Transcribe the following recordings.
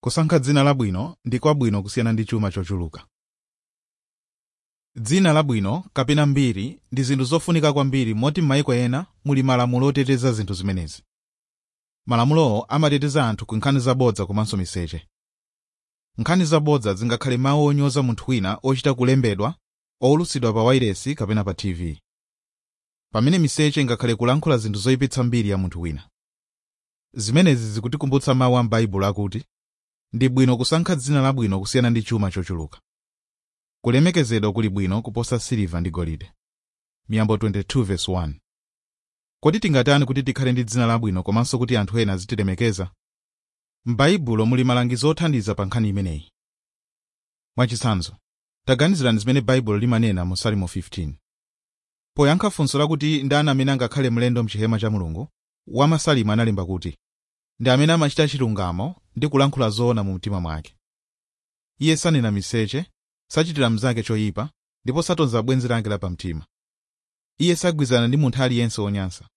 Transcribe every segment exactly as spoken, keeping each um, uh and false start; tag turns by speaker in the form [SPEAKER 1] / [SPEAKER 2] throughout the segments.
[SPEAKER 1] Kusankha dzina labwino ndi kwabwino kusiyana ndi chuma chochuluka. Dzina labwino kapena mbiri ndi zinthu zofunika kwambiri moti m'mayiko ena muli malamulo oteteza zinthu zimenezi. Malamulowo amateteza anthu ku nkhani zabodza komanso miseche. Nkhani zabodza zingakhale mawu onyoza munthu wina ochita kulembedwa, owulutsidwa pa wailesi kapena pa T V. Pamene miseche ingakhale kulankhula zinthu zoyipitsa mbiri ya munthu wina. Zimenezi zikutikumbutsa mawu a m'Baibulo akuti, ndi bwino kusankha dzina labwino kusiyana ndi chuma chochuluka. Kulemekezedwa kuli bwino kuposa siliva ndi golide. Miyambo twenty-two verse one. Kodi tingatani kuti tikhale ndi dzina labwino komanso kuti anthu ena azitilemekeza? M'Baibulo muli malangizo othandiza pa nkhani imeneyi. Mwachitsanzo, taganizirani zimene Baibulo limanena mu Salimo fifteen. Poyankha funso lakuti ndani amene angakhale mlendo m'chihema cha Mulungu, wamasalimo analemba kuti, ndi amene amachita chilungamo ndi kulankhula zoona mu mtima mwake. Iye sanena miseche, sachitira mnzake choyipa, ndipo satonza bwenzi lake lapamtima. Iye sagwizana ndi munthu aliyense wonyansa.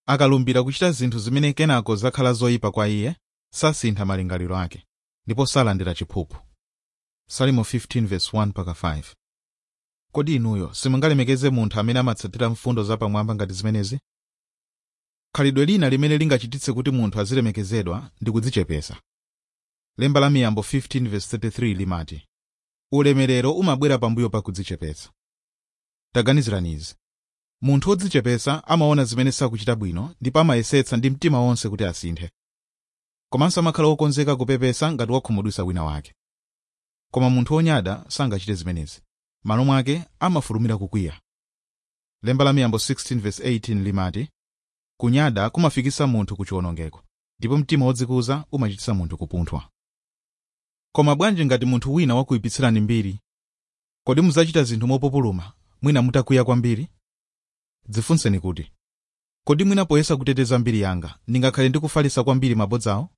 [SPEAKER 1] Akalumbira kuchita zinthu zimene kenako zakhala zoyipa kwa iye, sasintha malingaliro ake, ndipo salandira chiphuphu. Salimo fifteen verse one mpaka five. Kodi inuyo simungalemekeze munthu amene amatsatira mfundo zapamwamba ngati zimenezi? Khalidwe lina limene lingachititse kuti munthu azilemekezedwa ndi kudzichepesa. Lemba la Miyambo fifteen verse thirty-three limati, ulemerero umabwera pambuyo pa kudzichepesa. Taganizirani izi. Munthu wodzichepesa amaona zimene sakuchita bwino ndipo amayesetsa ndi mtima wonse kuti asinthe. Komanso amakhala wokonzeka kupepesa ngati wakhumudwitsa wina wake. Koma munthu wonyada sangachite zimenezi. M'malo mwake amafulumira kukwiya. Lemba la Miyambo sixteen verse eighteen limati, kunyada kumafikisa munthu ku chiwonongeko, ndipo mtima wodzikuza umachititsa munthu kupunthwa. Koma bwanji ngati munthu wina wakuyipitsirani mbiri? Kodi mudzachita zinthu mopupuluma, mwina mutakwiya kwambiri? Dzifunseni kuti, kodi mwina poyesa kuteteza mbiri yanga, ndingakhale ndikufalitsa kwambiri mabodzawo?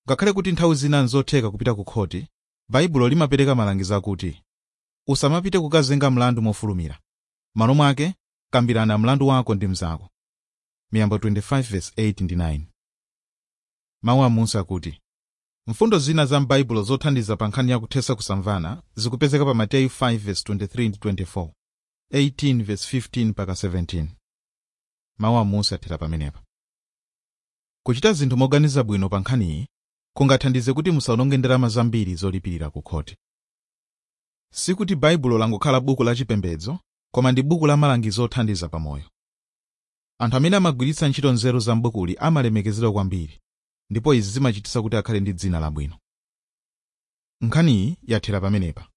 [SPEAKER 1] Ngakhale kuti nthawi zina nzotheka kupita ku khoti, Baibulo limapereka malangizo akuti, usamapite kukazenga mlandu mofulumira. M'malo mwake, kambirana mlandu wako ndi mnzako. Miyambo twenty-five verse eight ndi nine. Mawu amunsi akuti, mfundo zina za m'Baibulo zothandiza pa nkhani ya kuthetsa kusamvana zikupezeka pa Mateyu five verse twenty-three ndi twenty-four, eighteen verse fifteen mpaka seventeen. Mawu amunsi athera pamenepa. Kuchita zinthu moganiza bwino pa nkhaniyi kungathandize kuti musawononge ndalama zambiri zolipirira ku khoti. Sikuti Baibulo langokhala buku la chipembedzo, koma ndi buku la malangizo othandiza pamoyo. Anthu amene amagwiritsa ntchito nzeru za m'bukuli amalemekezedwa kwambiri, ndipo izi zimachititsa kuti akhale ndi dzina labwino. Nkhaniyi yathera pamenepa.